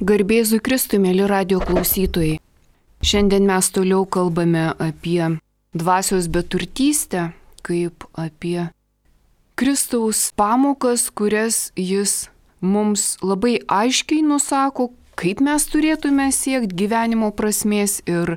Garbėzui Kristui, mėly radio klausytojai. Šiandien mes toliau kalbame apie dvasios beturtystę, kaip apie Kristaus pamokas, kurias jis mums labai aiškiai nusako, kaip mes turėtume siekti gyvenimo prasmės ir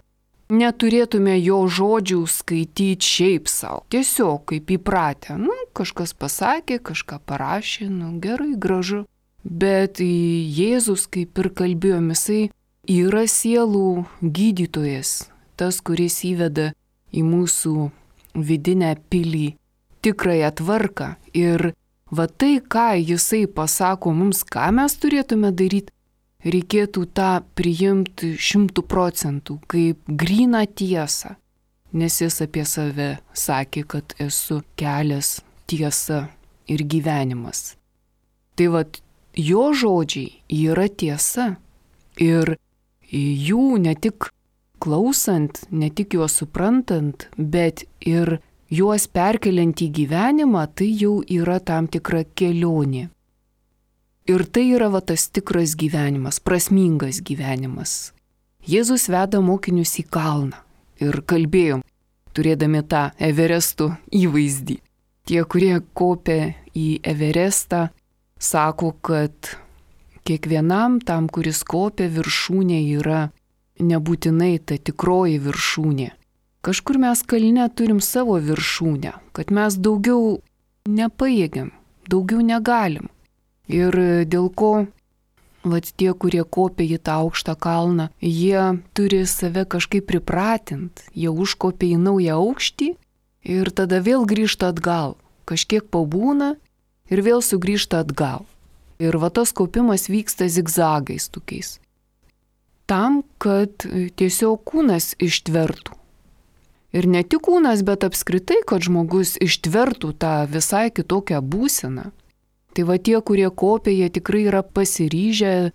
neturėtume jo žodžių skaityti šiaip savo. Tiesiog kaip įpratę. Kažkas pasakė, kažką parašė, gerai, gražu. Bet Jėzus, kaip ir kalbėjom, jisai yra sielų gydytojas, tas, kuris įveda į mūsų vidinę pilį tikrąją tvarką. Ir va tai, ką jisai pasako mums, ką mes turėtume daryti, reikėtų tą priimti 100%, kaip gryną tiesą. Nes jis apie save sakė, kad esu kelias, tiesa ir gyvenimas. Tai va, jo žodžiai yra tiesa. Ir jų ne tik klausant, ne tik juos suprantant, bet ir juos perkeliant į gyvenimą, tai jau yra tam tikra kelionė. Ir tai yra va tas tikras gyvenimas, prasmingas gyvenimas. Jėzus veda mokinius į kalną ir kalbėjom, turėdami tą Everestų įvaizdį. Tie, kurie kopia į Everestą, sako, kad kiekvienam tam, kuris kopia, viršūnė yra nebūtinai ta tikroji viršūnė. Kažkur mes kalne turim savo viršūnę, kad mes daugiau nepajėgiam, daugiau negalim. Ir dėl ko tie, kurie kopia į tą aukštą kalną, jie turi save kažkaip pripratinti, jie užkopia į naują aukštį ir tada vėl grįžta atgal, kažkiek pabūna ir vėl sugrįžta atgal. Ir va tas kopimas vyksta zigzagais tokiais. Tam, kad tiesiog kūnas ištvertų. Ir ne tik kūnas, bet apskritai, kad žmogus ištvertų tą visai kitokią būseną. Tai va tie, kurie kopia, jie tikrai yra pasiryžę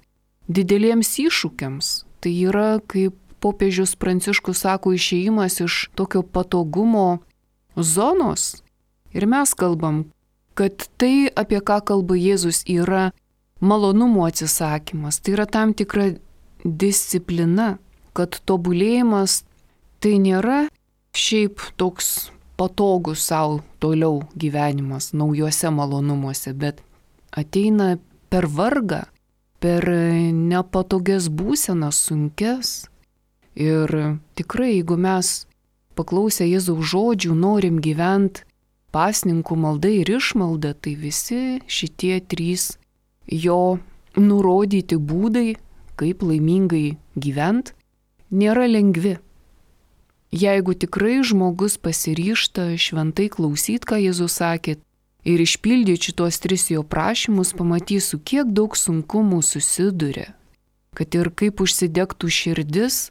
dideliems iššūkiams. Tai yra, kaip popiežius Pranciškus sako, išėjimas iš tokio patogumo zonos. Ir mes kalbam, kad tai, apie ką kalba Jėzus, yra malonumo atsisakymas. Tai yra tam tikra disciplina, kad tobulėjimas tai nėra šiaip toks patogus savo toliau gyvenimas naujuose malonumuose, bet ateina per vargą, per nepatogias būsenas, sunkes. Ir tikrai, jeigu mes paklausę Jėzaus žodžių norim gyventi pasninkų malda ir išmalda, tai visi šitie 3 jo nurodyti būdai, kaip laimingai gyventi, nėra lengvi. Jeigu tikrai žmogus pasiryžta šventai klausyti, ką Jėzus sakė, ir išpildyti šitos 3 jo prašymus, pamatysiu, kiek daug sunkumų susiduria. Kad ir kaip užsidegtų širdis,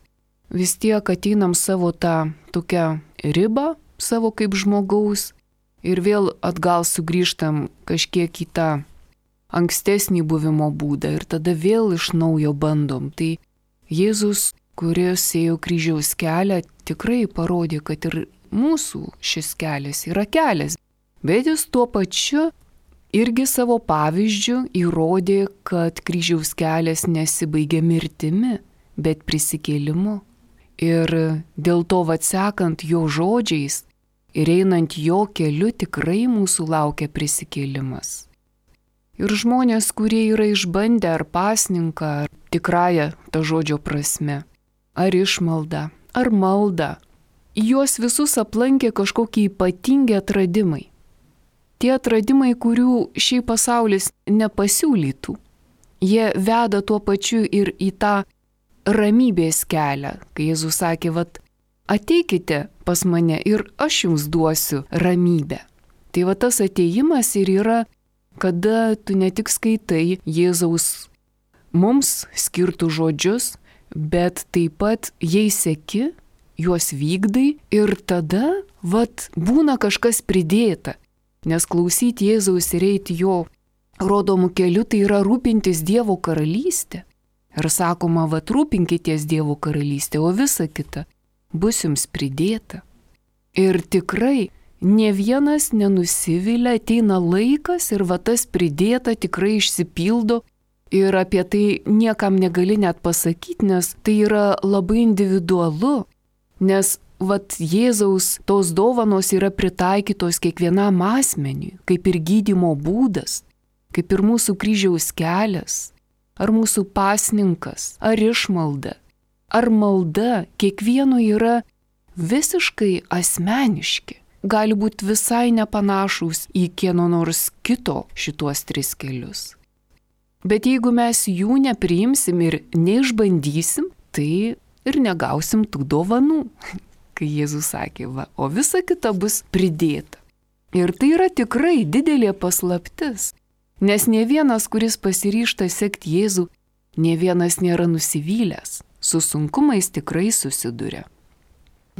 vis tiek ateinam savo tą tokią ribą, savo kaip žmogaus, ir vėl atgal sugrįžtam kažkiek į tą ankstesnį buvimo būdą ir tada vėl iš naujo bandom. Tai Jėzus, kuris ėjo kryžiaus kelią, tikrai parodė, kad ir mūsų šis kelias yra kelias. Bet jis tuo pačiu irgi savo pavyzdžiu įrodė, kad kryžiaus kelias nesibaigia mirtimi, bet prisikėlimu. Ir dėl to atsekant jo žodžiais, ir einant jo keliu tikrai mūsų laukia prisikėlimas. Ir žmonės, kurie yra išbandę ar pasninką, ar tikrąją to žodžio prasme, ar išmaldą, ar maldą, juos visus aplankė kažkokie ypatingi atradimai. Tie atradimai, kurių šiaip pasaulis nepasiūlytų. Jie veda tuo pačiu ir į tą ramybės kelią, kai Jėzus sakė, ateikite pas mane ir aš jums duosiu ramybę. Tai tas ateimas ir yra, kada tu ne tik skaitai Jėzaus mums skirtų žodžius, bet taip pat jais seki, juos vykdai ir tada, būna kažkas pridėta. Nes klausyti Jėzaus ir eiti jo rodomų kelių, tai yra rūpintis Dievo karalystė. Ir sakoma, rūpinkitės Dievo karalystė, o visa kita bus jums pridėta. Ir tikrai ne vienas nenusivilia, ateina laikas ir tas pridėta tikrai išsipildo Ir apie tai niekam negali net pasakyti, nes tai yra labai individualu, nes Jėzaus tos dovanos yra pritaikytos kiekvienam asmeniui, kaip ir gydymo būdas, kaip ir mūsų kryžiaus kelias, ar mūsų pasninkas, ar išmalda, ar malda, kiekvieno yra visiškai asmeniški, gali būti visai nepanašūs į kieno nors kito šituos 3 kelius. Bet jeigu mes jų nepriimsim ir neišbandysim, tai ir negausim tų dovanų, kai Jėzus sakė, o visa kita bus pridėta. Ir tai yra tikrai didelė paslaptis, nes ne vienas, kuris pasiryžta sekti Jėzų, ne vienas nėra nusivylęs, su sunkumais tikrai susiduria.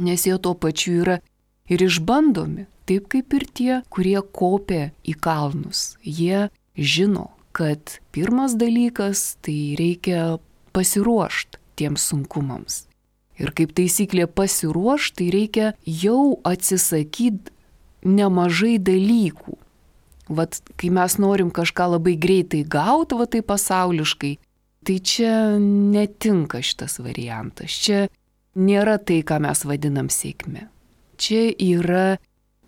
Nes jie tuo pačiu yra ir išbandomi, taip kaip ir tie, kurie kopia į kalnus. Jie žino, kad pirmas dalykas tai reikia pasiruošti tiems sunkumams. Ir kaip taisyklė pasiruošti, tai reikia jau atsisakyti nemažai dalykų. Kai mes norim kažką labai greitai gauti, tai pasauliškai, tai čia netinka šitas variantas. Čia nėra tai, ką mes vadinam sėkme. Čia yra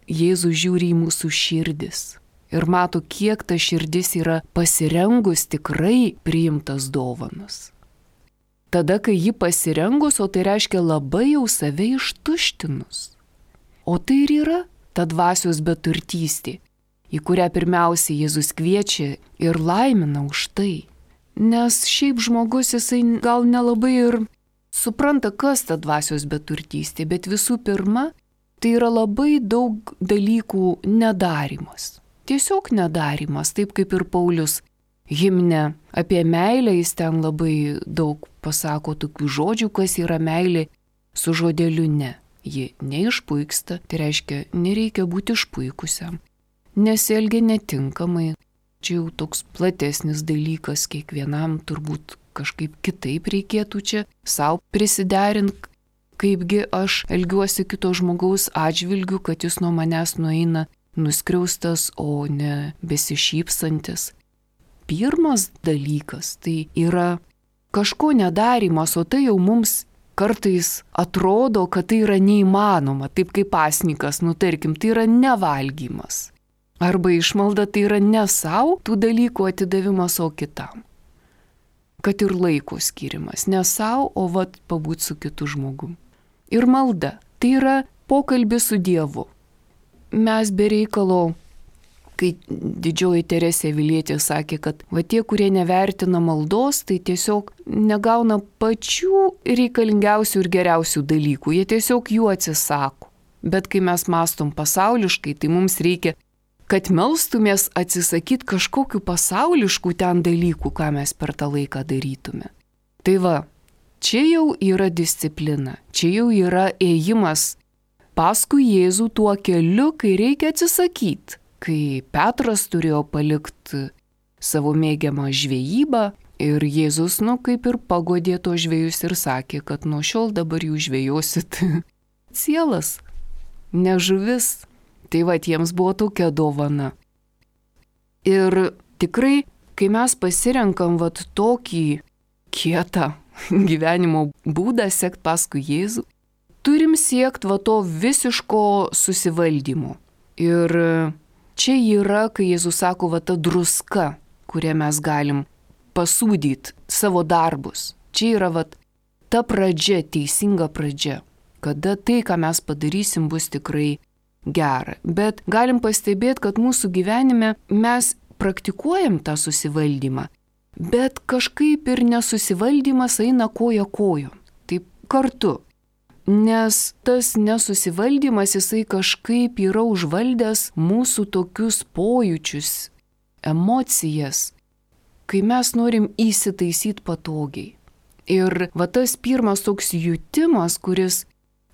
Jėzus žiūri į mūsų širdis ir mato, kiek ta širdis yra pasirengus tikrai priimtas dovanas. Tada, kai ji pasirengus, o tai reiškia labai jau save ištuštinus. O tai ir yra ta dvasios beturtystė, į kurią pirmiausiai Jėzus kviečia ir laimina už tai. Nes šiaip žmogus jisai gal nelabai ir supranta, kas ta dvasios beturtystė, bet visų pirma, tai yra labai daug dalykų nedarimas. Tiesiog nedarimas, taip kaip ir Paulius himne apie meilę, jis ten labai daug pasako tokių žodžių, kas yra meilė su žodeliu ne. Ji neišpuiksta, tai reiškia, nereikia būti išpuikusiam. Nesielgia netinkamai, čia jau toks platesnis dalykas, kiekvienam turbūt kažkaip kitaip reikėtų čia savo prisiderinti, kaipgi aš elgiuosi kito žmogaus atžvilgiu, kad jis nuo manęs nueina nuskriaustas, o ne besišypsantis. Pirmas dalykas tai yra kažko nedarimas, o tai jau mums kartais atrodo, kad tai yra neįmanoma, taip kaip pasninkas, tarkim, tai yra nevalgymas. Arba išmalda tai yra ne savo tų dalykų atidavimas, o kitam. Kad ir laiko skirimas, ne savo, o pabūti su kitu žmogum. Ir malda tai yra pokalbis su Dievu. Mes be reikalo, kai didžioji Teresė Avilietė sakė, kad tie, kurie nevertina maldos, tai tiesiog negauna pačių reikalingiausių ir geriausių dalykų, jie tiesiog jų atsisako. Bet kai mes mastom pasauliškai, tai mums reikia, kad melstumės atsisakyti kažkokių pasauliškų ten dalykų, ką mes per tą laiką darytume. Tai čia jau yra disciplina, čia jau yra ėjimas paskui Jėzų tuo keliu, kai reikia atsisakyti. Kai Petras turėjo palikti savo mėgiamą žvejybą ir Jėzus, kaip ir pagodė to žvejus ir sakė, kad nuo šiol dabar jūs žvejosit sielas, ne žuvis. Tai jiems buvo tokia dovana. Ir tikrai, kai mes pasirenkam tokį kietą gyvenimo būdą sekti paskui Jėzų, turim siekti to visiško susivaldymo. Ir čia yra, kai Jėzus sako, ta druska, kurią mes galim pasūdyti savo darbus. Čia yra ta pradžia, teisinga pradžia, kada tai, ką mes padarysim, bus tikrai gera. Bet galim pastebėti, kad mūsų gyvenime mes praktikuojam tą susivaldymą, bet kažkaip ir nesusivaldymas eina koja kojon, taip kartu. Nes tas nesusivaldymas, jisai kažkaip yra užvaldęs mūsų tokius pojūčius, emocijas, kai mes norim įsitaisyti patogiai. Ir tas pirmas toks jutimas, kuris,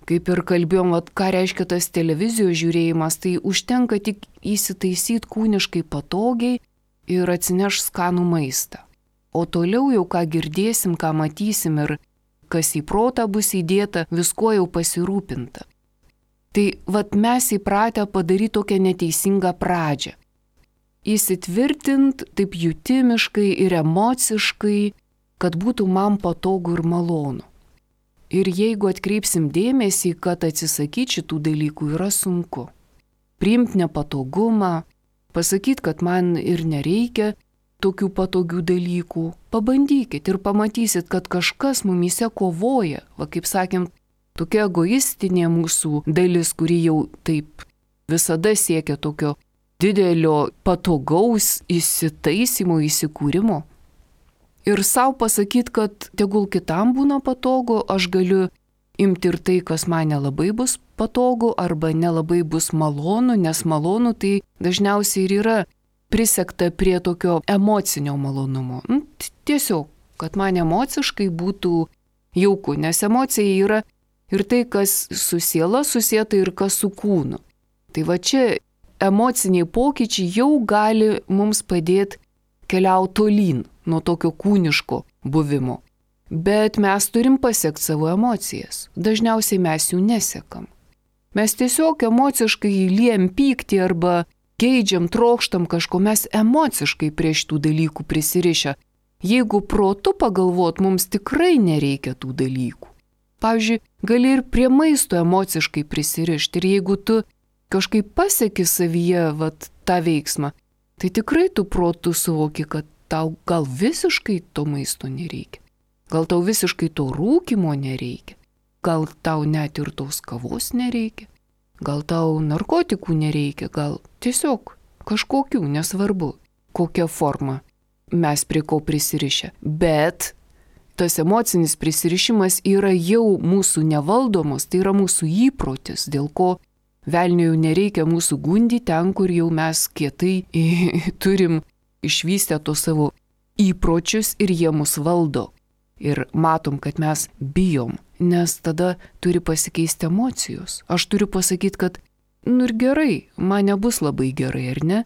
kaip ir kalbėjom, ką reiškia tas televizijos žiūrėjimas, tai užtenka tik įsitaisyti kūniškai patogiai ir atsineš skanų maistą. O toliau jau ką girdėsim, ką matysim ir kas į protą bus įdėta, viskuo jau pasirūpinta. Tai mes įpratę padaryti tokią neteisingą pradžią. įsitvirtinti taip jutimiškai ir emociškai, kad būtų man patogu ir malonu. Ir jeigu atkreipsim dėmesį, kad atsisakyti šitų dalykų yra sunku. Priimti nepatogumą, pasakyti, kad man ir nereikia tokių patogių dalykų. Pabandykit ir pamatysit, kad kažkas mumyse kovoja. Va, kaip sakėm, tokia egoistinė mūsų dalis, kuri jau taip visada siekia tokio didelio patogaus įsitaisymo, įsikūrimo. Ir savo pasakyti, kad tegul kitam būna patogu, aš galiu imti ir tai, kas man nelabai bus patogu arba nelabai bus malonu, nes malonu tai dažniausiai ir yra prisekta prie tokio emocinio malonumo. Tiesiog, kad man emociškai būtų jauku, nes emocija yra ir tai, kas su siela susieta ir kas su kūnu. Tai va čia emociniai pokyčiai jau gali mums padėti keliauti tolyn nuo tokio kūniško buvimo. Bet mes turim pasiekti savo emocijas. Dažniausiai mes jų nesekam. Mes tiesiog emociškai liejam pyktį arba geidžiam, trokštam kažko, mes emociškai prie šitų dalykų prisirišę. Jeigu protu pagalvot, mums tikrai nereikia tų dalykų. Pavyzdžiui, gali ir prie maisto emociškai prisirišti ir jeigu tu kažkaip pasieki savyje tą veiksmą, tai tikrai tu protu suvoki, kad tau gal visiškai to maisto nereikia. Gal tau visiškai to rūkymo nereikia. Gal tau net ir tos kavos nereikia. Gal tau narkotikų nereikia. Gal tiesiog kažkokių, nesvarbu, kokia forma mes prie ko prisirišę. Bet tas emocinis prisirišimas yra jau mūsų nevaldomas, tai yra mūsų įprotis, dėl ko velniui jau nereikia mūsų gundyti ten, kur jau mes kietai turim išvystę tos savo įpročius ir jie mus valdo. Ir matom, kad mes bijom, nes tada turi pasikeisti emocijos. Aš turiu pasakyti, kad, ir gerai, man nebus labai gerai, ar ne?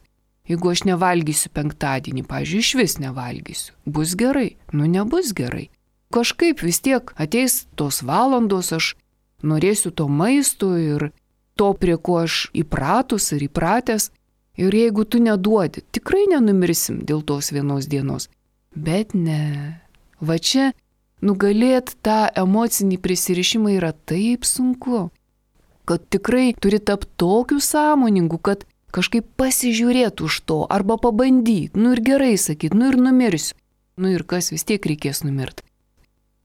Jeigu aš nevalgysiu penktadienį, pavyzdžiui, išvis nevalgysiu, bus gerai, nebus gerai. Kažkaip vis tiek ateis tos valandos, aš norėsiu to maisto ir to, prie ko aš įpratus ar įpratęs. Ir jeigu tu neduodi, tikrai nenumirsim dėl tos vienos dienos. Bet ne. Va čia nugalėti tą emocinį prisirišimą yra taip sunku, kad tikrai turi tapti tokiu sąmoningu, kad kažkaip pasižiūrėti už to arba pabandyti, ir gerai sakyti, ir numirsiu. Ir kas vis tiek reikės numirti.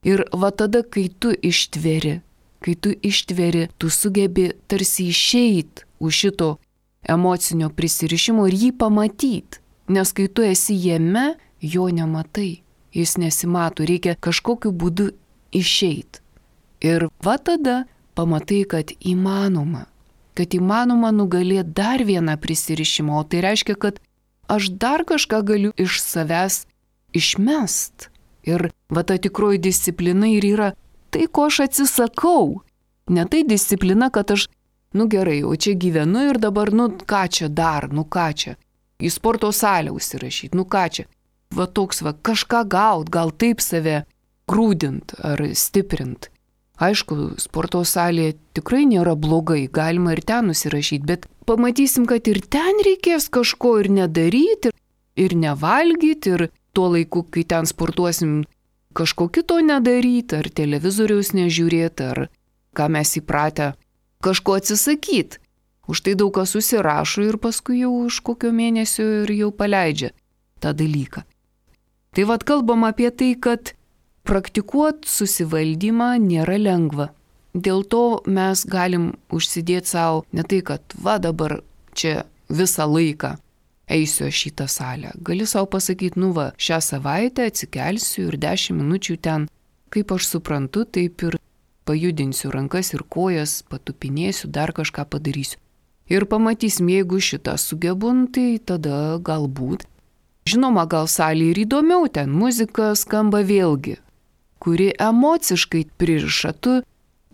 Ir va tada, kai tu ištveri, tu sugebi tarsi išeiti už šito emocinio prisirišimo ir jį pamatyti, nes kai tu esi jame, jo nematai. Jis nesimato, reikia kažkokiu būdu išeiti. Ir va tada pamatai, kad įmanoma nugalėti dar vieną prisirišimą, o tai reiškia, kad aš dar kažką galiu iš savęs išmest. Ir va ta tikroji disciplina ir yra tai, ko aš atsisakau. Ne tai disciplina, kad aš, gerai, o čia gyvenu ir dabar, ką čia dar, ką čia. Į sporto salę užsirašyti, ką čia. Va toks, kažką gaut, gal taip save grūdint ar stiprint. Aišku, sporto salėje tikrai nėra blogai, galima ir ten užsirašyti, bet pamatysim, kad ir ten reikės kažko ir nedaryti, ir nevalgyti, ir tuo laiku, kai ten sportuosim, kažko kito nedaryti, ar televizoriaus nežiūrėti, ar ką mes įpratę kažko atsisakyti. Už tai daug kas susirašo ir paskui jau už kokio mėnesio ir jau paleidžia tą dalyką. Tai kalbam apie tai, kad praktikuoti susivaldymą nėra lengva. Dėl to mes galim užsidėti savo ne tai, kad dabar čia visą laiką eisiu aš į tą salę. Gali savo pasakyti, šią savaitę atsikelsiu ir 10 minučių ten, kaip aš suprantu, taip ir pajudinsiu rankas ir kojas, patupinėsiu, dar kažką padarysiu. Ir pamatysim, jeigu šitą sugebun, tai tada galbūt. Žinoma, gal salė ir įdomiau, ten muzika skamba vėlgi, kuri emociškai pririša. Tu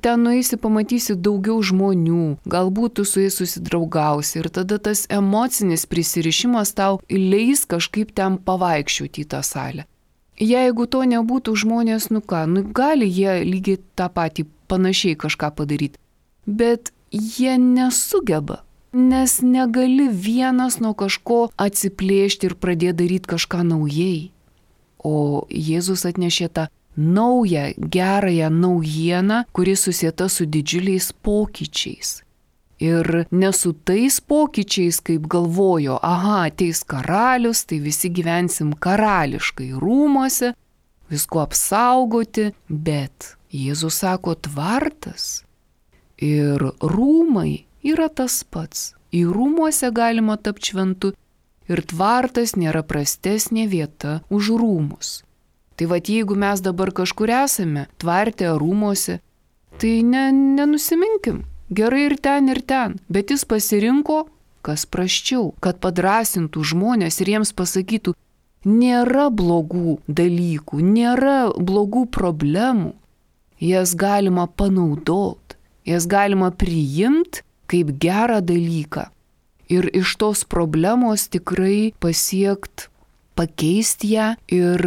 ten nueisi, pamatysi daugiau žmonių, galbūt tu su jais susidraugausi ir tada tas emocinis prisirišimas tau leis kažkaip ten pavaikščioti į tą salę. Jeigu to nebūtų, žmonės, gali jie lygiai tą patį panašiai kažką padaryti, bet jie nesugeba. nes negali vienas nuo kažko atsiplėšti ir pradėti daryti kažką naujai. O Jėzus atnešė tą naują, gerąją naujieną, kuri susieta su didžiuliais pokyčiais. Ir ne su tais pokyčiais, kaip galvojo, ateis karalius, tai visi gyvensim karališkai rūmuose, visko apsaugoti, bet Jėzus sako tvartas ir rūmai yra tas pats. Į rūmuose galima tapti šventu ir tvartas nėra prastesnė vieta už rūmus. Tai vat jeigu mes dabar kažkur esame, tvarte rūmuose, tai nenusiminkim. Gerai ir ten, bet jis pasirinko, kas prasčiau, kad padrasintų žmonės ir jiems pasakytų, nėra blogų dalykų, nėra blogų problemų, jas galima panaudoti, jas galima priimti kaip gerą dalyką ir iš tos problemos tikrai pakeisti ją ir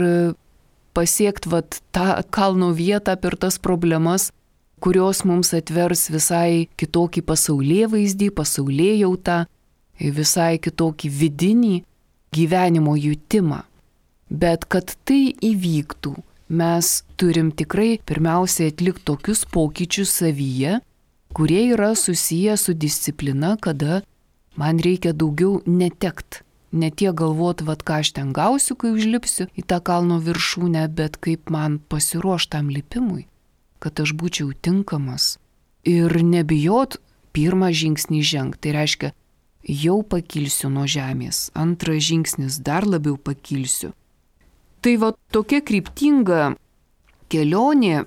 pasiekti tą kalno vietą per tas problemas, kurios mums atvers visai kitokį pasaulėvaizdį, pasaulėjautą, visai kitokį vidinį gyvenimo jutimą. Bet kad tai įvyktų, mes turim tikrai pirmiausiai atlikti tokius pokyčius savyje, kurie yra susiję su disciplina, kada man reikia daugiau netekt. Ne tiek galvoti, ką aš ten gausiu, kai užlipsiu į tą kalno viršūnę, bet kaip man pasiruošti tam lipimui, kad aš būčiau tinkamas. Ir nebijot pirmą žingsnį žengti. Tai reiškia, jau pakilsiu nuo žemės. Antras žingsnis, dar labiau pakilsiu. Tai tokia kryptinga kelionė,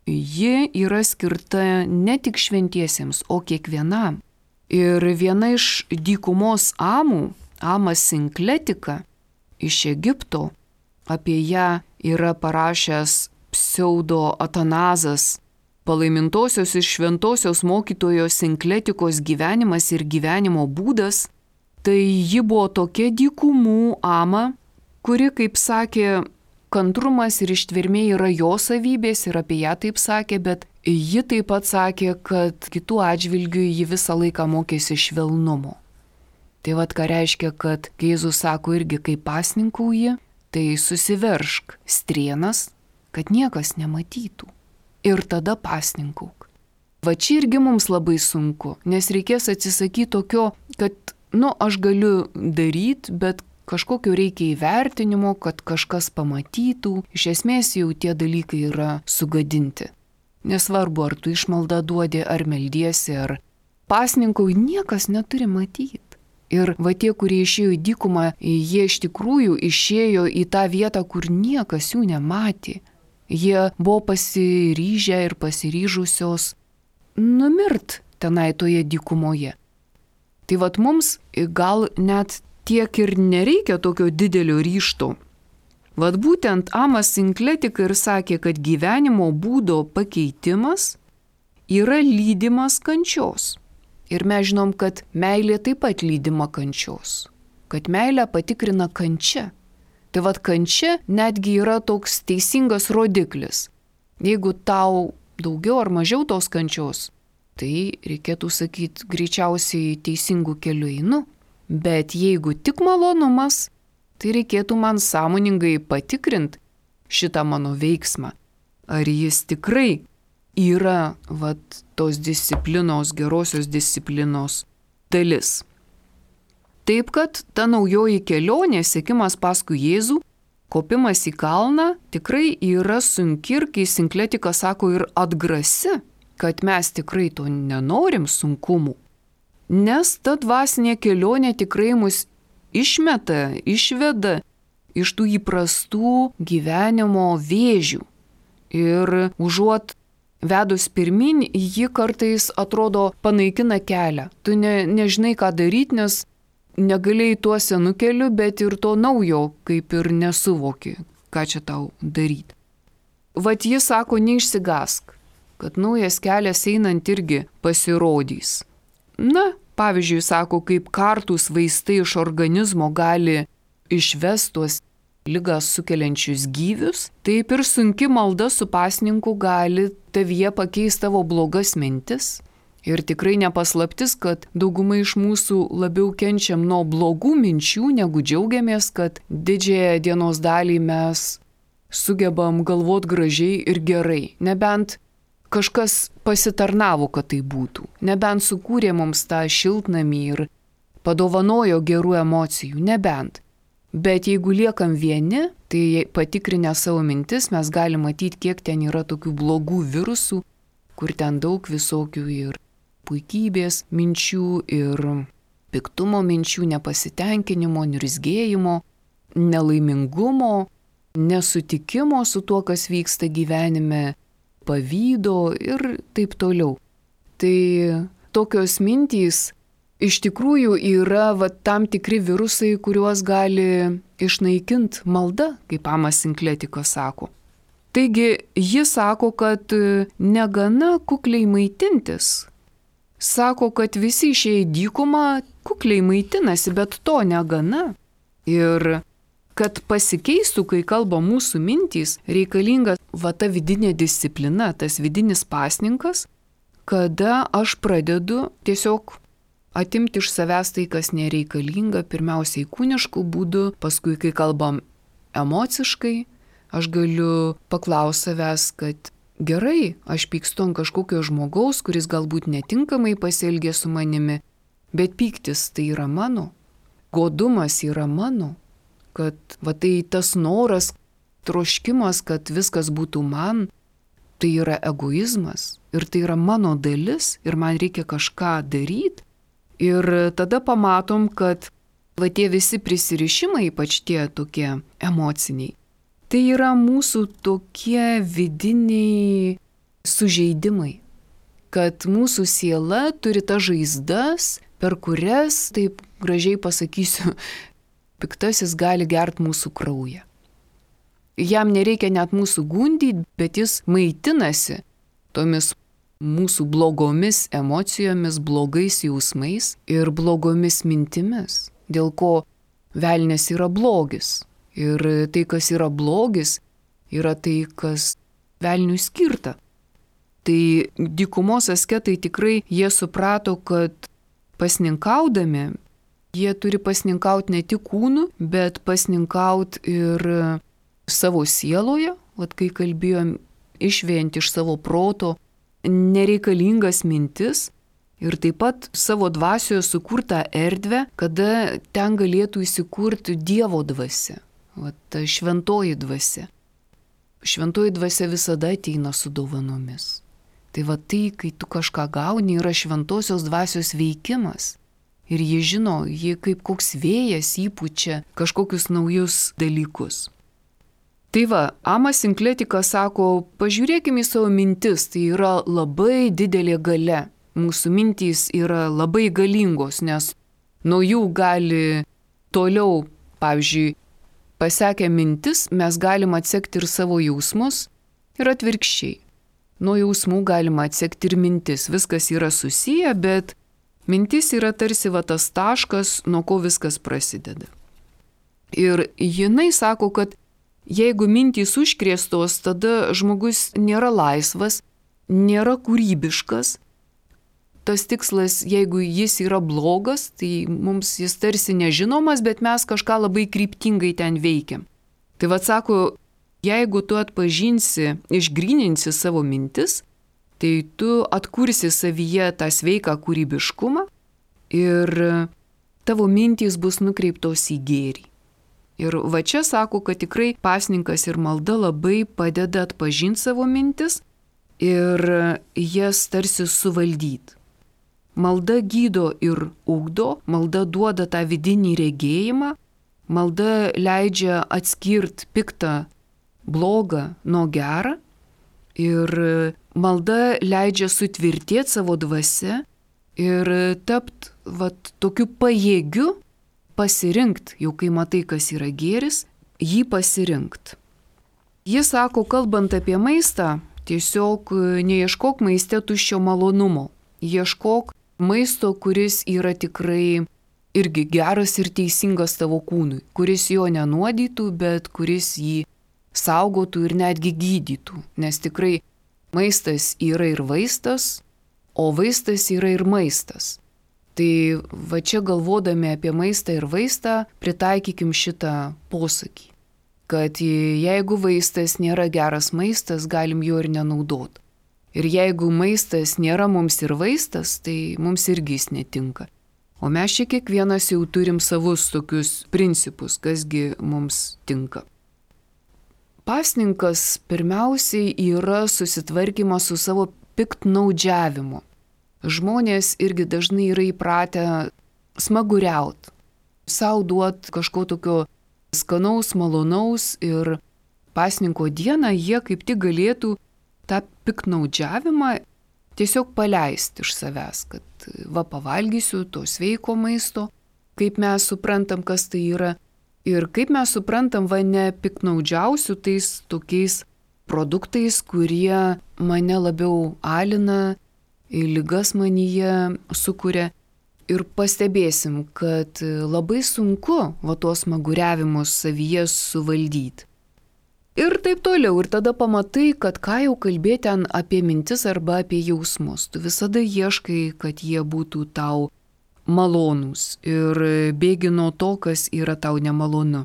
ji yra skirta ne tik šventiesiems, o kiekvienam. Ir viena iš dykumos amų, Amas Sinkletika iš Egipto, apie ją yra parašęs pseudo Atanazas, palaimintosios ir šventosios mokytojos Sinkletikos gyvenimas ir gyvenimo būdas. Tai ji buvo tokia dykumų ama, kuri, kaip sakė, kantrumas ir ištvermė yra jo savybės ir apie ją taip sakė, bet ji taip pat sakė, kad kitų atžvilgių ji visą laiką mokėsi švelnumo. Tai ką reiškia, kad Jėzus sako irgi, kai pasninkauji, tai susiveršk strėnas, kad niekas nematytų. Ir tada pasninkauk. Čia irgi mums labai sunku, nes reikės atsisakyti tokio, kad, aš galiu daryti, bet kažkokio reikia įvertinimo, kad kažkas pamatytų. Iš esmės jau tie dalykai yra sugadinti. Nesvarbu, ar tu išmaldą duodi, ar meldiesi, ar pasninkauji, niekas neturi matyti. Ir tie, kurie išėjo į dykumą, jie iš tikrųjų išėjo į tą vietą, kur niekas jų nematė. Jie buvo pasiryžę ir pasiryžusios numirt tenai toje dykumoje. Tai mums gal net tiek ir nereikia tokio didelio ryžto. Būtent Amas Sinkletika ir sakė, kad gyvenimo būdo pakeitimas yra lydimas kančios. Ir mes žinom, kad meilė taip pat lydima kančios, kad meilę patikrina kančia. Tai kančia netgi yra toks teisingas rodiklis. Jeigu tau daugiau ar mažiau tos kančios, tai reikėtų sakyti, greičiausiai teisingų kelių einu. Bet jeigu tik malonumas, tai reikėtų man sąmoningai patikrinti šitą mano veiksmą. Ar jis tikrai yra tos disciplinos, gerosios disciplinos dalis. Taip, kad ta naujoji kelionė, sekimas paskui Jėzų, kopimas į kalną tikrai yra sunki ir, kai Sinkletika sako, ir atgrasi, kad mes tikrai to nenorim sunkumų. Nes ta dvasinė kelionė tikrai mus išveda iš tų įprastų gyvenimo vėžių. Ir užuot vedus pirmin, ji kartais atrodo panaikina kelią. Tu nežinai, ką daryti, nes negalėjai tuo senu keliu, bet ir to naujo kaip ir nesuvoki, ką čia tau daryti. Jis sako, neišsigask, kad naujas kelias einant irgi pasirodys. Pavyzdžiui, sako, kaip kartūs vaistai iš organizmo gali išvesti tuos ligas sukeliančius gyvius, taip ir sunki malda su pasninku gali tavyje pakeisti tavo blogas mintis Ir tikrai nepaslaptis, kad dauguma iš mūsų labiau kenčiam nuo blogų minčių, negu džiaugiamės, kad didžiąją dienos dalį mes sugebam galvot gražiai ir gerai. Nebent kažkas pasitarnavo, kad tai būtų. Nebent sukūrė mums tą šiltnamį ir padovanojo gerų emocijų. Nebent. Bet jeigu liekam vieni, tai patikrinę savo mintis mes galime matyti, kiek ten yra tokių blogų virusų, kur ten daug visokių ir puikybės minčių, ir piktumo minčių, nepasitenkinimo, niurzgėjimo, nelaimingumo, nesutikimo su tuo, kas vyksta gyvenime, pavydo ir taip toliau. Tai tokios mintys iš tikrųjų yra tam tikri virusai, kuriuos gali išnaikinti malda, kaip Amas Sinkletikas sako. Taigi jis sako, kad negana kukliai maitintis. Sako, kad visi išėję į dykumą kukliai maitinasi, bet to negana. Ir kad pasikeistų, kai kalba mūsų mintys, reikalinga ta vidinė disciplina, tas vidinis pasninkas, kada aš pradedu tiesiog atimti iš savęs tai, kas nereikalinga, pirmiausiai kūniškų būdų, paskui, kai kalbam emociškai, aš galiu paklausti savęs, kad gerai, aš pykstu ant kažkokio žmogaus, kuris galbūt netinkamai pasielgė su manimi, bet pyktis tai yra mano, godumas yra mano, kad tai tas noras, troškimas, kad viskas būtų man, tai yra egoizmas ir tai yra mano dalis ir man reikia kažką daryti. Ir tada pamatom, kad tie visi prisirišimai, ypač tie tokie emociniai, tai yra mūsų tokie vidiniai sužeidimai, kad mūsų siela turi tas žaizdas, per kurias, taip gražiai pasakysiu, piktasis gali gerti mūsų kraują. Jam nereikia net mūsų gundyti, bet jis maitinasi tomis mūsų blogomis emocijomis, blogais jausmais ir blogomis mintimis, dėl ko velnias yra blogis. Ir tai, kas yra blogis, yra tai, kas velniui skirta. Tai dykumos asketai tikrai jie suprato, kad pasninkaudami, jie turi pasninkauti ne tik kūnu, bet pasninkauti ir savo sieloje, kai kalbėjom, išvėjant iš savo proto nereikalingas mintis ir taip pat savo dvasioje sukurtą erdvę, kada ten galėtų įsikurti Dievo dvasia, ta šventoji dvasia. Šventoji dvasia visada ateina su dovanomis. Tai tai, kai tu kažką gauni, yra šventosios dvasios veikimas. Ir jie žino, jie kaip koks vėjas įpučia kažkokius naujus dalykus. Tai Amas Sinkletikas sako, pažiūrėkime į savo mintis, tai yra labai didelė galia. Mūsų mintys yra labai galingos, nes nuo jų gali toliau, pavyzdžiui, pasekę mintis, mes galim atsekti ir savo jausmus ir atvirkščiai. Nuo jausmų galima atsekti ir mintis, viskas yra susiję, bet mintis yra tarsi tas taškas, nuo ko viskas prasideda. Ir jinai sako, kad jeigu mintys užkrėstos, tada žmogus nėra laisvas, nėra kūrybiškas. Tas tikslas, jeigu jis yra blogas, tai mums jis tarsi nežinomas, bet mes kažką labai kryptingai ten veikiam. Tai sako, jeigu tu atpažinsi, išgryninsi savo mintis, tai tu atkursi savyje tą sveiką kūrybiškumą ir tavo mintys bus nukreiptos į gėrį. Ir čia sako, kad tikrai pasninkas ir malda labai padeda atpažinti savo mintis ir jas tarsi suvaldyti. Malda gydo ir ugdo, malda duoda tą vidinį regėjimą, malda leidžia atskirti piktą, blogą nuo gerą ir malda leidžia sutvirtėti savo dvasia ir tapti tokiu pajėgiu pasirinkti, jau kai matai, kas yra gėris, jį pasirinkti. Jis sako, kalbant apie maistą, tiesiog neieškok maiste tuščio malonumo. Ieškok maisto, kuris yra tikrai irgi geras ir teisingas tavo kūnui, kuris jo nenuodytų, bet kuris jį saugotų ir netgi gydytų. Nes tikrai maistas yra ir vaistas, o vaistas yra ir maistas. Tai va čia galvodami apie maistą ir vaistą, pritaikykim šitą posakį, kad jeigu vaistas nėra geras maistas, galim jo ir nenaudoti. Ir jeigu maistas nėra mums ir vaistas, tai mums irgi jis netinka. O mes čia kiekvienas jau turim savus tokius principus, kasgi mums tinka. Pasninkas pirmiausiai yra susitvarkymas su savo piktnaudžiavimu. Žmonės irgi dažnai yra įpratę smaguriauti, sau duoti kažko tokio skanaus, malonaus ir pasninko dieną jie kaip tik galėtų tą piktnaudžiavimą tiesiog paleisti iš savęs, kad va pavalgysiu to sveiko maisto, kaip mes suprantam, kas tai yra. Ir kaip mes suprantam, va nepiktnaudžiausiu tais tokiais produktais, kurie mane labiau alina, ligas manyje sukuria. Ir pastebėsim, kad labai sunku va tuos smaguriavimus savyje suvaldyti. Ir taip toliau. Ir tada pamatai, kad ką jau kalbėti ten apie mintis arba apie jausmus. Tu visada ieškai, kad jie būtų tau malonūs ir bėgi nuo to, kas yra tau nemalonu.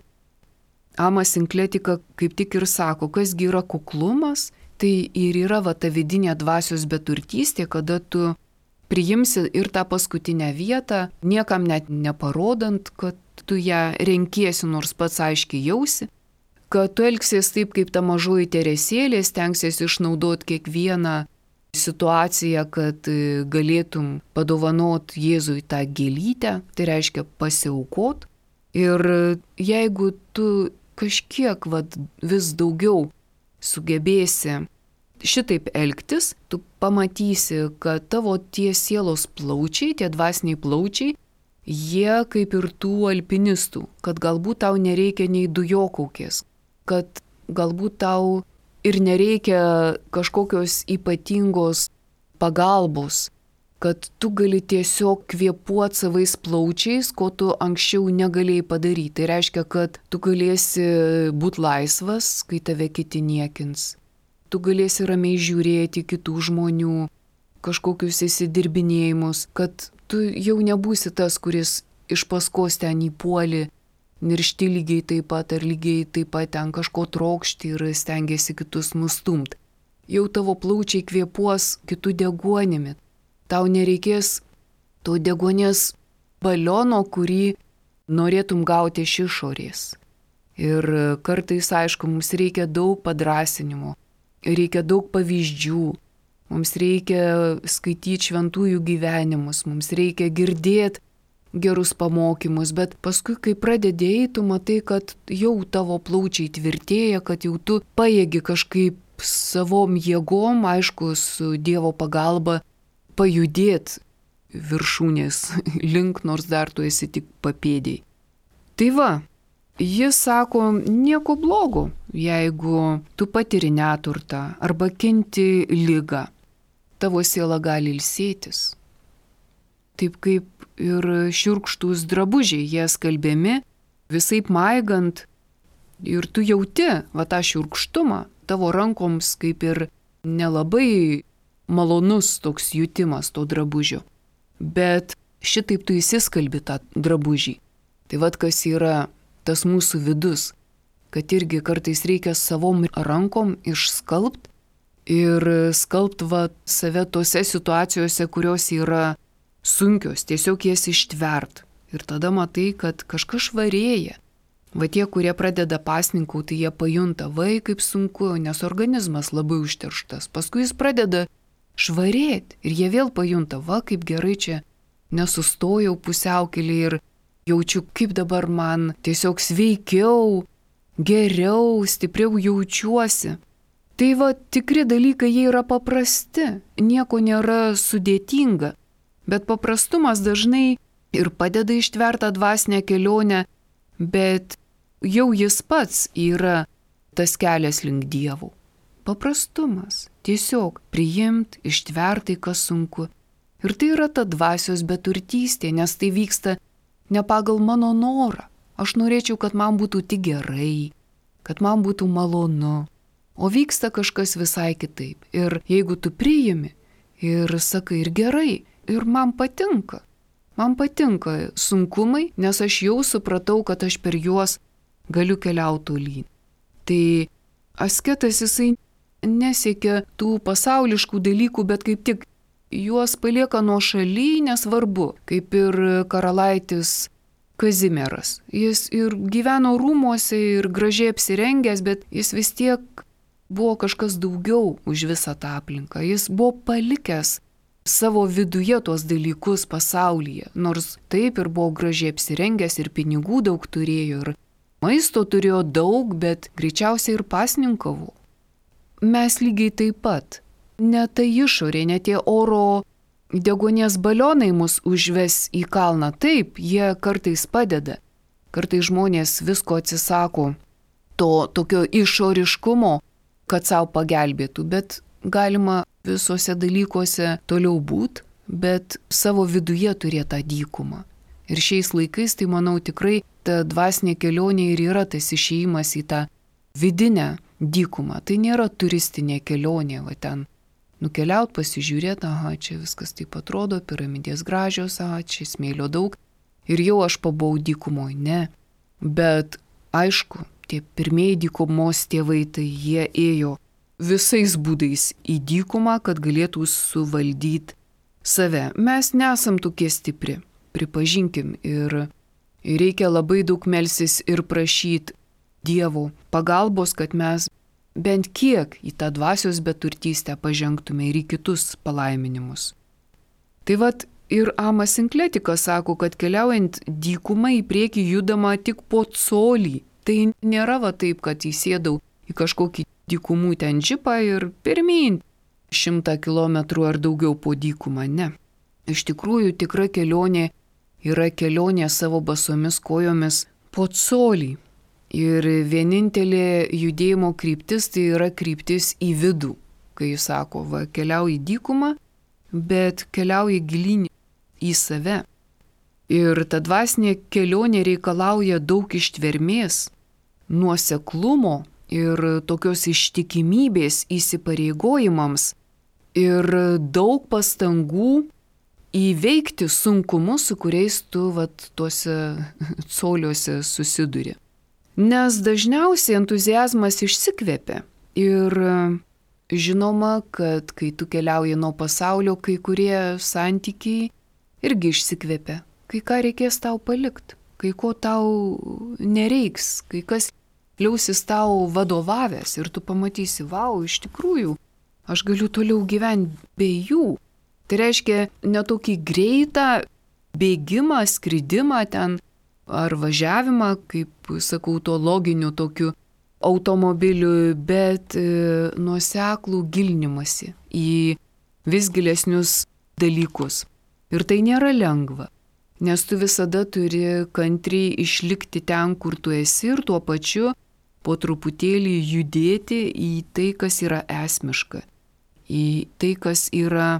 Amas Sinkletika kaip tik ir sako, kasgi yra kuklumas, tai ir yra va ta vidinė dvasios beturtystė, kada tu priimsi ir tą paskutinę vietą, niekam net neparodant, kad tu ją renkiesi, nors pats aiškiai jausi, kad tu elgsies taip, kaip ta mažoji Teresėlė, stengsies išnaudoti kiekvieną situaciją, kad galėtum padovanot Jėzui tą gėlytę, tai reiškia pasiaukot. Ir jeigu tu kažkiek vis daugiau sugebėsi šitaip elgtis, tu pamatysi, kad tavo tie sielos plaučiai, tie dvasiniai plaučiai, jie kaip ir tų alpinistų, kad galbūt tau nereikia nei dujokaukės, kad galbūt tau ir nereikia kažkokios ypatingos pagalbos, kad tu gali tiesiog kvėpuoti savais plaučiais, ko tu anksčiau negalėjai padaryti. Tai reiškia, kad tu galėsi būti laisvas, kai tave kiti niekins. Tu galėsi ramiai žiūrėti kitų žmonių, kažkokius įsidirbinėjimus, kad tu jau nebūsi tas, kuris iš paskos ten įpuoli, niršti lygiai taip pat ar lygiai taip pat ten kažko trokšti ir stengiasi kitus nustumti. Jau tavo plaučiai kvėpuos kitų deguonimi. Tau nereikės to deguonies baliono, kurį norėtum gauti iš išorės. Ir kartais, aišku, mums reikia daug padrasinimo, reikia daug pavyzdžių, mums reikia skaityti šventųjų gyvenimus, mums reikia girdėti gerus pamokymus, bet paskui, kai pradedėjai, tu matai, kad jau tavo plaučiai tvirtėja, kad jau tu pajėgi kažkaip savom jėgom, aišku, su Dievo pagalba, pajudėti viršūnės link, nors dar tu esi tik papėdėj. Tai va, jis sako, nieko blogo, jeigu tu patiri neturtą arba kenti ligą, tavo siela gali ilsėtis. Taip kaip ir šiurkštūs drabužiai, jie skalbiami, visaip maigant, ir tu jauti va tą šiurkštumą, tavo rankoms kaip ir nelabai malonus toks jutimas to drabužio. Bet šitaip tu įsiskalbi tą drabužį. Tai vad kas yra tas mūsų vidus, kad irgi kartais reikia savom rankom išskalbt ir skalbt va save tose situacijose, kurios yra sunkios, tiesiog jas ištvert. Ir tada matai, kad kažkas švarėja. Va tie, kurie pradeda pasninkauti, tai jie pajunta, vai kaip sunku, nes organizmas labai užterštas. Paskui jis pradeda švarėti ir jie vėl pajunta, va kaip gerai čia nesustojau pusiaukelį ir jaučiu, kaip dabar man tiesiog sveikiau, geriau, stipriau jaučiuosi. Tai va tikri dalykai, jie yra paprasti, nieko nėra sudėtinga. Bet paprastumas dažnai ir padeda ištvertą dvasinę kelionę, bet jau jis pats yra tas kelias link Dievo. Paprastumas. Tiesiog priimt, ištvertai, kas sunku. Ir tai yra ta dvasios beturtystė, nes tai vyksta ne pagal mano norą. Aš norėčiau, kad man būtų tik gerai, kad man būtų malonu. O vyksta kažkas visai kitaip. Ir jeigu tu priimi Ir sakai, ir gerai, ir man patinka. Man patinka sunkumai, nes aš jau supratau, kad aš per juos galiu keliauti tolyn. Tai asketas jisai nesiekia tų pasauliškų dalykų, bet kaip tik juos palieka nuošaly, nesvarbu, kaip ir karalaitis Kazimieras. Jis ir gyveno rūmuose, ir gražiai apsirengęs, bet jis vis tiek buvo kažkas daugiau už visą tą aplinką. Jis buvo palikęs savo viduje tuos dalykus pasaulyje, nors taip ir buvo gražiai apsirengęs, ir pinigų daug turėjo, ir maisto turėjo daug, bet greičiausiai ir pasninkavo. Mes lygiai taip pat. Ne ta išorė, ne tie oro deguonies balionai mus užves į kalną. Taip, jie kartais padeda. Kartais žmonės visko atsisako to tokio išoriškumo, kad savo pagelbėtų, bet galima visuose dalykuose toliau būti, bet savo viduje turėti tą dykumą. Ir šiais laikais, tai manau, tikrai ta dvasinė kelionė ir yra tas išėjimas į tą vidinę dykumą. Tai nėra turistinė kelionė, va ten nukeliaut, pasižiūrėti, aha, čia viskas taip atrodo, piramidės gražios, aha, čia smėlio daug ir jau aš pabuvau dykumoje. Ne. Bet aišku, tie pirmieji dykumos tėvai, tai jie ėjo visais būdais į dykumą, kad galėtų suvaldyti save. Mes nesam tokie stipri, pripažinkim, ir reikia labai daug melstis ir prašyti Dievo pagalbos, kad mes bent kiek į tą dvasios beturtystę pažengtume ir į kitus palaiminimus. Tai vat ir Amas Sinkletikas sako, kad keliaujant dykumą į priekį judama tik po colį. Tai nėra va taip, kad įsėdau į kažkokį dykumų ten džipą ir pirmyn 100 kilometrų ar daugiau po dykumą. Ne. Iš tikrųjų, tikra kelionė yra kelionė savo basomis kojomis po colį. Ir vienintelė judėjimo kryptis tai yra kryptis į vidų, kai jis sako, va, keliauji dykumą, bet keliauji gilyn į save. Ir ta dvasinė kelionė reikalauja daug ištvermės, nuoseklumo ir tokios ištikimybės įsipareigojimams ir daug pastangų įveikti sunkumus, su kuriais tu vat, tuose coliuose susiduri. Nes dažniausiai entuziazmas išsikvepia ir žinoma, kad kai tu keliauji nuo pasaulio, kai kurie santykiai irgi išsikvepia, kai ką reikės tau palikti, kai ko tau nereiks, kai kas liausis tau vadovavęs ir tu pamatysi, vau, iš tikrųjų, aš galiu toliau gyventi be jų. Tai reiškia ne tokį greitą bėgimą, skridimą ten, ar važiavimą, kaip sakau, to loginiu tokiu automobiliu, bet nuoseklų gilinimąsi į vis gilesnius dalykus. Ir tai nėra lengva, nes tu visada turi kantriai išlikti ten, kur tu esi ir tuo pačiu po truputėlį judėti į tai, kas yra esmiška, į tai, kas yra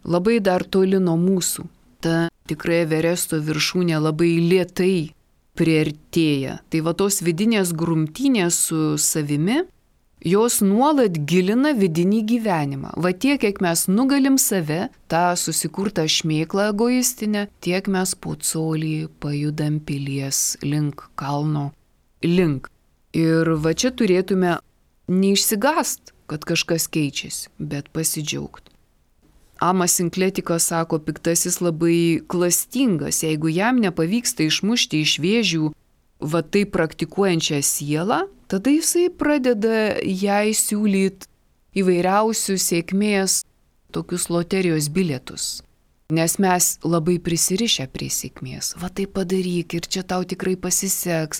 labai dar toli nuo mūsų. Ta tikrai Everesto viršūnė labai lėtai priartėja. Tai va tos vidinės grumtynės su savimi, jos nuolat gilina vidinį gyvenimą. Va tiek, kiek mes nugalim save, tą susikurtą šmėklą egoistinę, tiek mes po colį pajudam pilies link, kalno link. Ir va čia turėtume neišsigąst, kad kažkas keičiasi, bet pasidžiaugti. Amas Sinkletikas sako, piktasis labai klastingas, jeigu jam nepavyksta išmušti iš vėžių va tai praktikuojančią sielą, tada jisai pradeda jai siūlyti įvairiausių sėkmės tokius loterijos bilietus. Nes mes labai prisirišę prie sėkmės. Va tai padaryk ir čia tau tikrai pasiseks.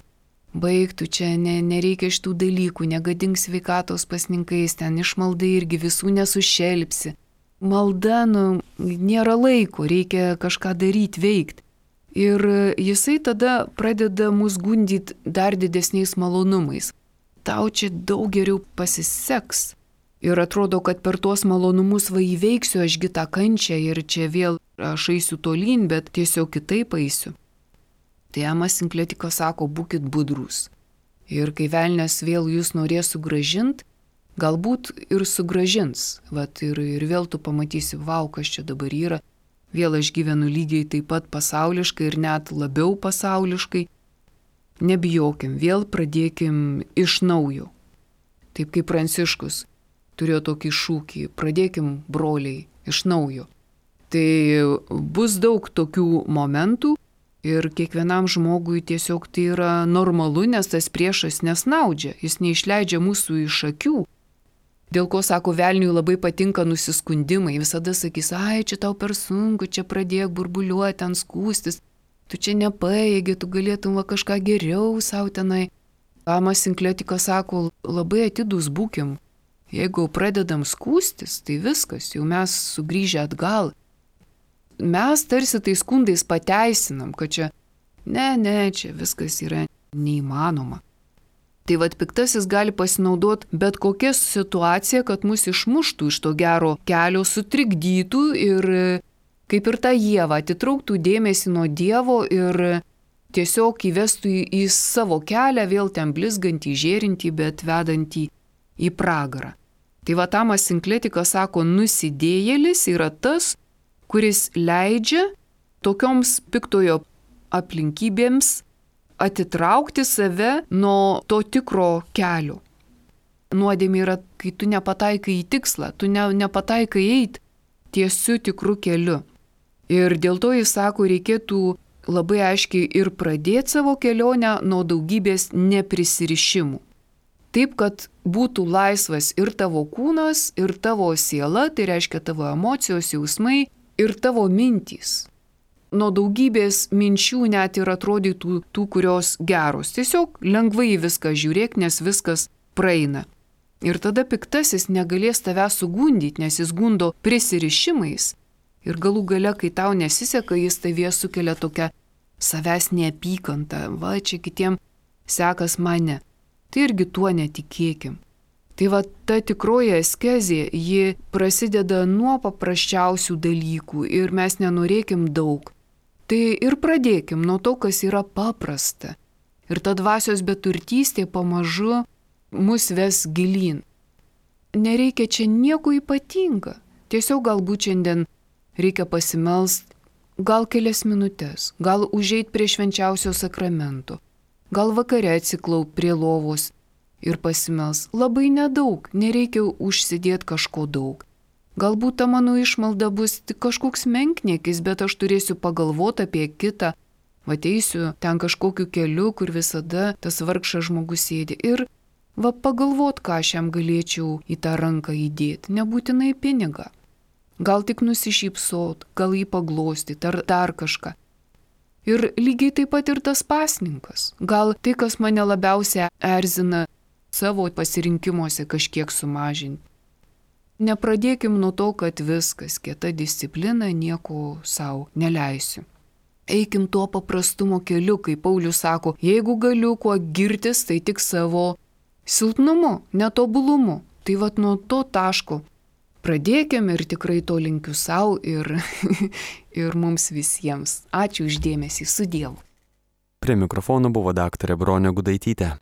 Baigtų čia, nereikia šitų dalykų, negadink sveikatos pasninkais, ten išmaldai irgi visų nesušelpsi. Malda, nėra laiko, reikia kažką daryti, veikti. Ir jisai tada pradeda mus gundyti dar didesniais malonumais. Tau čia daug geriau pasiseks. Ir atrodo, kad per tuos malonumus va įveiksiu ašgi tą kančią ir čia vėl aš eisiu tolyn, bet tiesiog kitaip eisiu. Tai Amas Sinkletikas sako, būkit budrus. Ir kai velnias vėl jūs norės sugrąžinti galbūt ir sugražins. Ir vėl tu pamatysi, vau, kas čia dabar yra. Vėl aš gyvenu lygiai taip pat pasauliškai ir net labiau pasauliškai. Nebijokim, vėl pradėkim iš naujo. Taip kaip Pranciškus turėjo tokį šūkį, pradėkim, broliai, iš naujo. Tai bus daug tokių momentų ir kiekvienam žmogui tiesiog tai yra normalu, nes tas priešas nesnaudžia, jis neišleidžia mūsų iš akių. Dėl ko, sako, velniui labai patinka nusiskundimai, visada sakys, ai, čia tau per sunku, čia pradėk burbuliuoti, ten skūstis, tu čia nepaėgi, tu galėtum kažką geriau savo tenai. Amas Sinkletikas sako, labai atidus būkim. Jeigu pradedam skūstis, tai viskas, jau mes sugrįžę atgal. Mes tarsi tai skundais pateisinam, kad čia, čia viskas yra neįmanoma. Tai piktasis gali pasinaudoti bet kokią situaciją, kad mus išmuštų iš to gero kelio, sutrikdytų ir kaip ir tą Ievą atitrauktų dėmesį nuo Dievo ir tiesiog įvestų į savo kelią, vėl ten blizgantį, žėrintį, bet vedantį į pragarą. Tai Amas Sinkletikas sako, nusidėjėlis yra tas, kuris leidžia tokioms piktojo aplinkybėms atitraukti save nuo to tikro kelio. Nuodėmė yra, kai tu nepataikai į tikslą, tu nepataikai eiti tiesiu tikru keliu. Ir dėl to jis sako, reikėtų labai aiškiai ir pradėti savo kelionę nuo daugybės neprisirišimų. Taip, kad būtų laisvas ir tavo kūnas, ir tavo siela, tai reiškia tavo emocijos, jausmai ir tavo mintys. Nuo daugybės minčių net ir atrodytų tų, kurios geros. Tiesiog lengvai viską žiūrėk, nes viskas praeina. Ir tada piktasis negalės tave sugundyti, nes jis gundo prisirišimais. Ir galų gale, kai tau nesiseka, jis tavie sukelia tokią savęs neapykantą. Va, čia kitiem sekas mane. Tai irgi tuo netikėkim. Tai ta tikroji askezė, ji prasideda nuo paprasčiausių dalykų ir mes nenorėkim daug. Tai ir pradėkim nuo to, kas yra paprasta. Ir ta dvasios beturtystė pamažu mus ves gilyn. Nereikia čia nieko ypatinga. Tiesiog galbūt šiandien reikia pasimelst gal kelias minutės, gal užeit prie švenčiausio sakramento, gal vakare atsiklaupt prie lovos ir pasimels. Labai nedaug, nereikia užsidėti kažko daug. Galbūt ta mano išmalda bus tik kažkoks menkniekis, bet aš turėsiu pagalvoti apie kitą. Ateisiu ten kažkokiu keliu, kur visada tas vargšas žmogus sėdi. Ir pagalvot, ką aš jam galėčiau į tą ranką įdėti. Nebūtinai pinigą. Gal tik nusišypsot, gal jį paglostyti ar dar kažką. Ir lygiai taip pat ir tas pasninkas. Gal tai, kas mane labiausiai erzina, savo pasirinkimuose kažkiek sumažinti. Nepradėkim nuo to, kad viskas, kieta disciplina, nieko savo neleisiu. Eikim tuo paprastumo keliu, kaip Paulius sako, jeigu galiu kuo girtis, tai tik savo silpnumu, netobulumu. Tai nuo to taško pradėkim ir tikrai to linkiu savo ir mums visiems. Ačiū už dėmesį, su Dievu. Prie mikrofono buvo daktarė Bronė Gudaitytė.